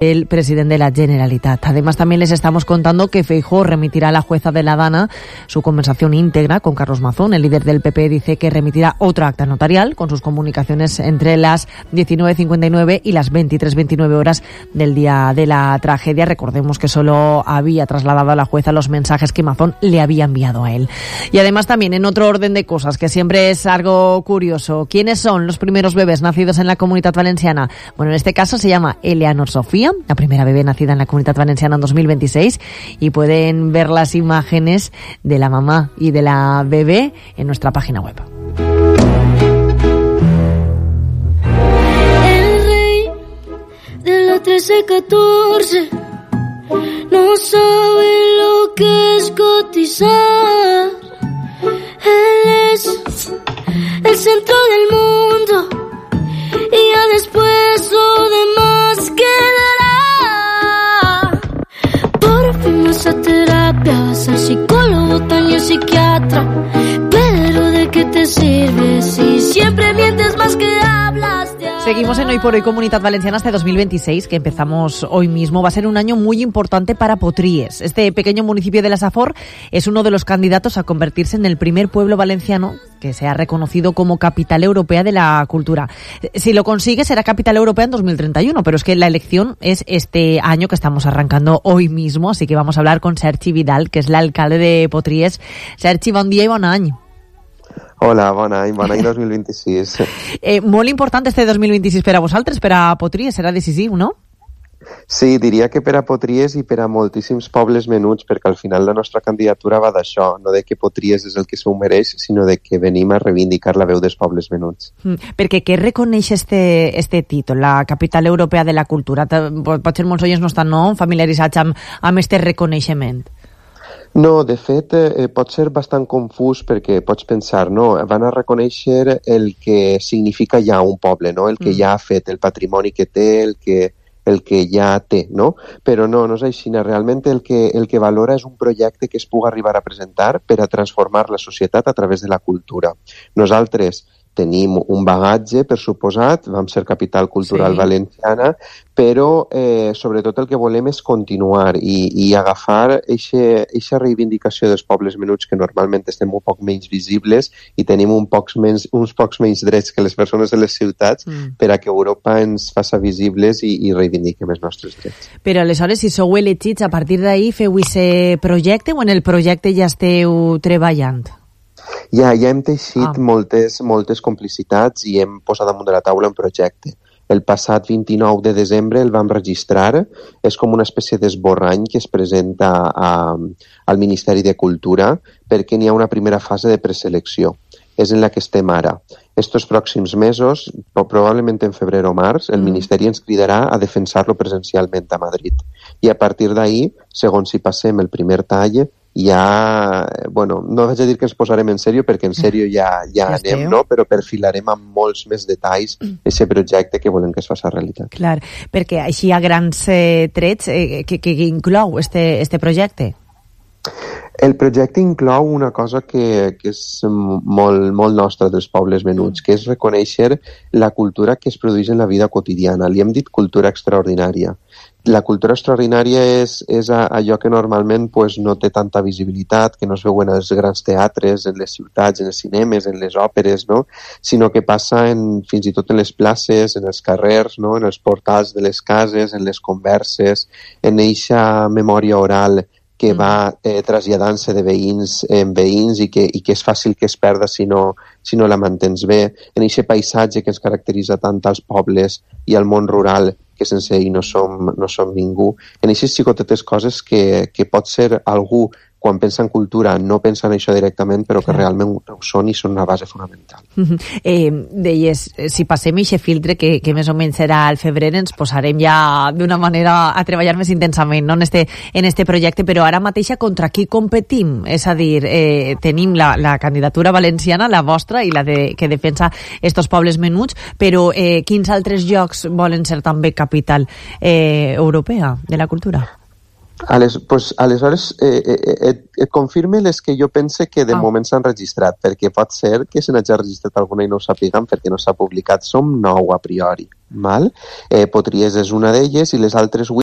el presidente de la Generalitat. Además, también les estamos contando que Feijóo remitirá a la jueza de La Dana su conversación íntegra con Carlos Mazón. El líder del PP dice que remitirá otro acta notarial con sus comunicaciones entre las 19:59 y las 23:29 horas del día de la tragedia. Recordemos que solo había trasladado a la jueza los mensajes que Mazón le había enviado a él. Y además también, en otro orden de cosas, que siempre es algo curioso, ¿quiénes son los primeros bebés nacidos en la Comunitat Valenciana? Bueno, en este caso se llama Eleanor Sofía, la primera bebé nacida en la Comunitat Valenciana en 2026, y pueden ver las imágenes de la mamá y de la bebé en nuestra página web. El rey de la 13-14 no sabe lo que es cotizar. Él es el centro del mundo y ya después lo demás quedará. Por fin vas a terapia, vas al psicólogo, también psiquiatra. Pero ¿de qué te sirve si siempre mientes más que hablas? Seguimos en Hoy por Hoy Comunitat Valenciana hasta 2026, que empezamos hoy mismo. Va a ser un año muy importante para Potries. Este pequeño municipio de la Safor es uno de los candidatos a convertirse en el primer pueblo valenciano que sea reconocido como Capital Europea de la Cultura. Si lo consigue, será Capital Europea en 2031, pero es que la elección es este año que estamos arrancando hoy mismo, así que vamos a hablar con Sergi Vidal, que es l'alcalde de Potries. Sergi, bon dia i bon any. Hola, bon any 2026. Molt important este 2026 per a vosaltres, per a Potries, serà decisiu, no? Sí, diria que per a Potries i per a moltíssims pobles menuts, perquè al final la nostra candidatura va d'això, no de que Potries és el que s'ho mereix, sinó de que venim a reivindicar la veu dels pobles menuts. Perquè què reconeix este títol, la Capital Europea de la Cultura? Potser molts oients no estan familiaritzats amb este reconeixement. No, de fet, pot ser bastant confús perquè pots pensar, no? Van a reconèixer el que significa ja un poble, no? El que ja ha fet, el patrimoni que té, el que ja té, no? Però no és així. Realment el que valora és un projecte que es pugui arribar a presentar per a transformar la societat a través de la cultura. Nosaltres tenim un bagatge, per suposat, vam ser capital cultural valenciana, però sobretot el que volem és continuar i agafar eixa reivindicació dels pobles menuts que normalment estem un poc menys visibles i tenim uns pocs menys drets que les persones de les ciutats per a que Europa ens faça visibles i reivindiquem els nostres drets. Però aleshores, si sou elegits, a partir d'ahir feu aquest projecte o en el projecte ja esteu treballant? Ja hem teixit moltes complicitats i hem posat damunt de la taula un projecte. El passat 29 de desembre el vam registrar. És com una espècie d'esborrany que es presenta al Ministeri de Cultura perquè n'hi ha una primera fase de preselecció. És en la que estem ara. Estos pròxims mesos, probablement en febrer o març, el Ministeri ens cridarà a defensar-lo presencialment a Madrid. I a partir d'ahir, segons si passem el primer tall, ja, no vaig a dir que ens posarem en sèrio, perquè en sèrio ja anem, no? Però perfilarem amb molts més detalls aquest projecte que volem que es faci realitat. Clar, perquè així a grans trets, què inclou este projecte? El projecte inclou una cosa que és molt nostra dels pobles menuts, que és reconèixer la cultura que es produeix en la vida quotidiana. Li hem dit cultura extraordinària. La cultura extraordinària és allò que normalment no té tanta visibilitat, que no es veu en els grans teatres, en les ciutats, en els cinemes, en les òperes, no? Sinó que passa fins i tot en les places, en els carrers, no? En els portals de les cases, en les converses, en eixa memòria oral que va traslladant-se de veïns en veïns i que és fàcil que es perda si no la mantens bé, en aquest paisatge que ens caracteritza tant als pobles i al món rural, que sense ell no som ningú, en aquestes xicotetes coses que pot ser algú quan pensa en cultura no pensa en això directament, però que realment ho són i són una base fonamental. Deies, si passem aquest filtre, que més o menys serà al febrer, ens posarem ja d'una manera a treballar més intensament, no? en este projecte, però ara mateixa contra qui competim? És a dir, tenim la candidatura valenciana, la vostra, i la que defensa estos pobles menuts, però quins altres llocs volen ser també capital europea de la cultura? Aleshores, et confirme les que jo pense que de moment s'han registrat, perquè pot ser que se n'hagi registrat alguna i no ho sàpiguen perquè no s'ha publicat. Som 9 a priori. Val? Potries és una d'elles i les altres 8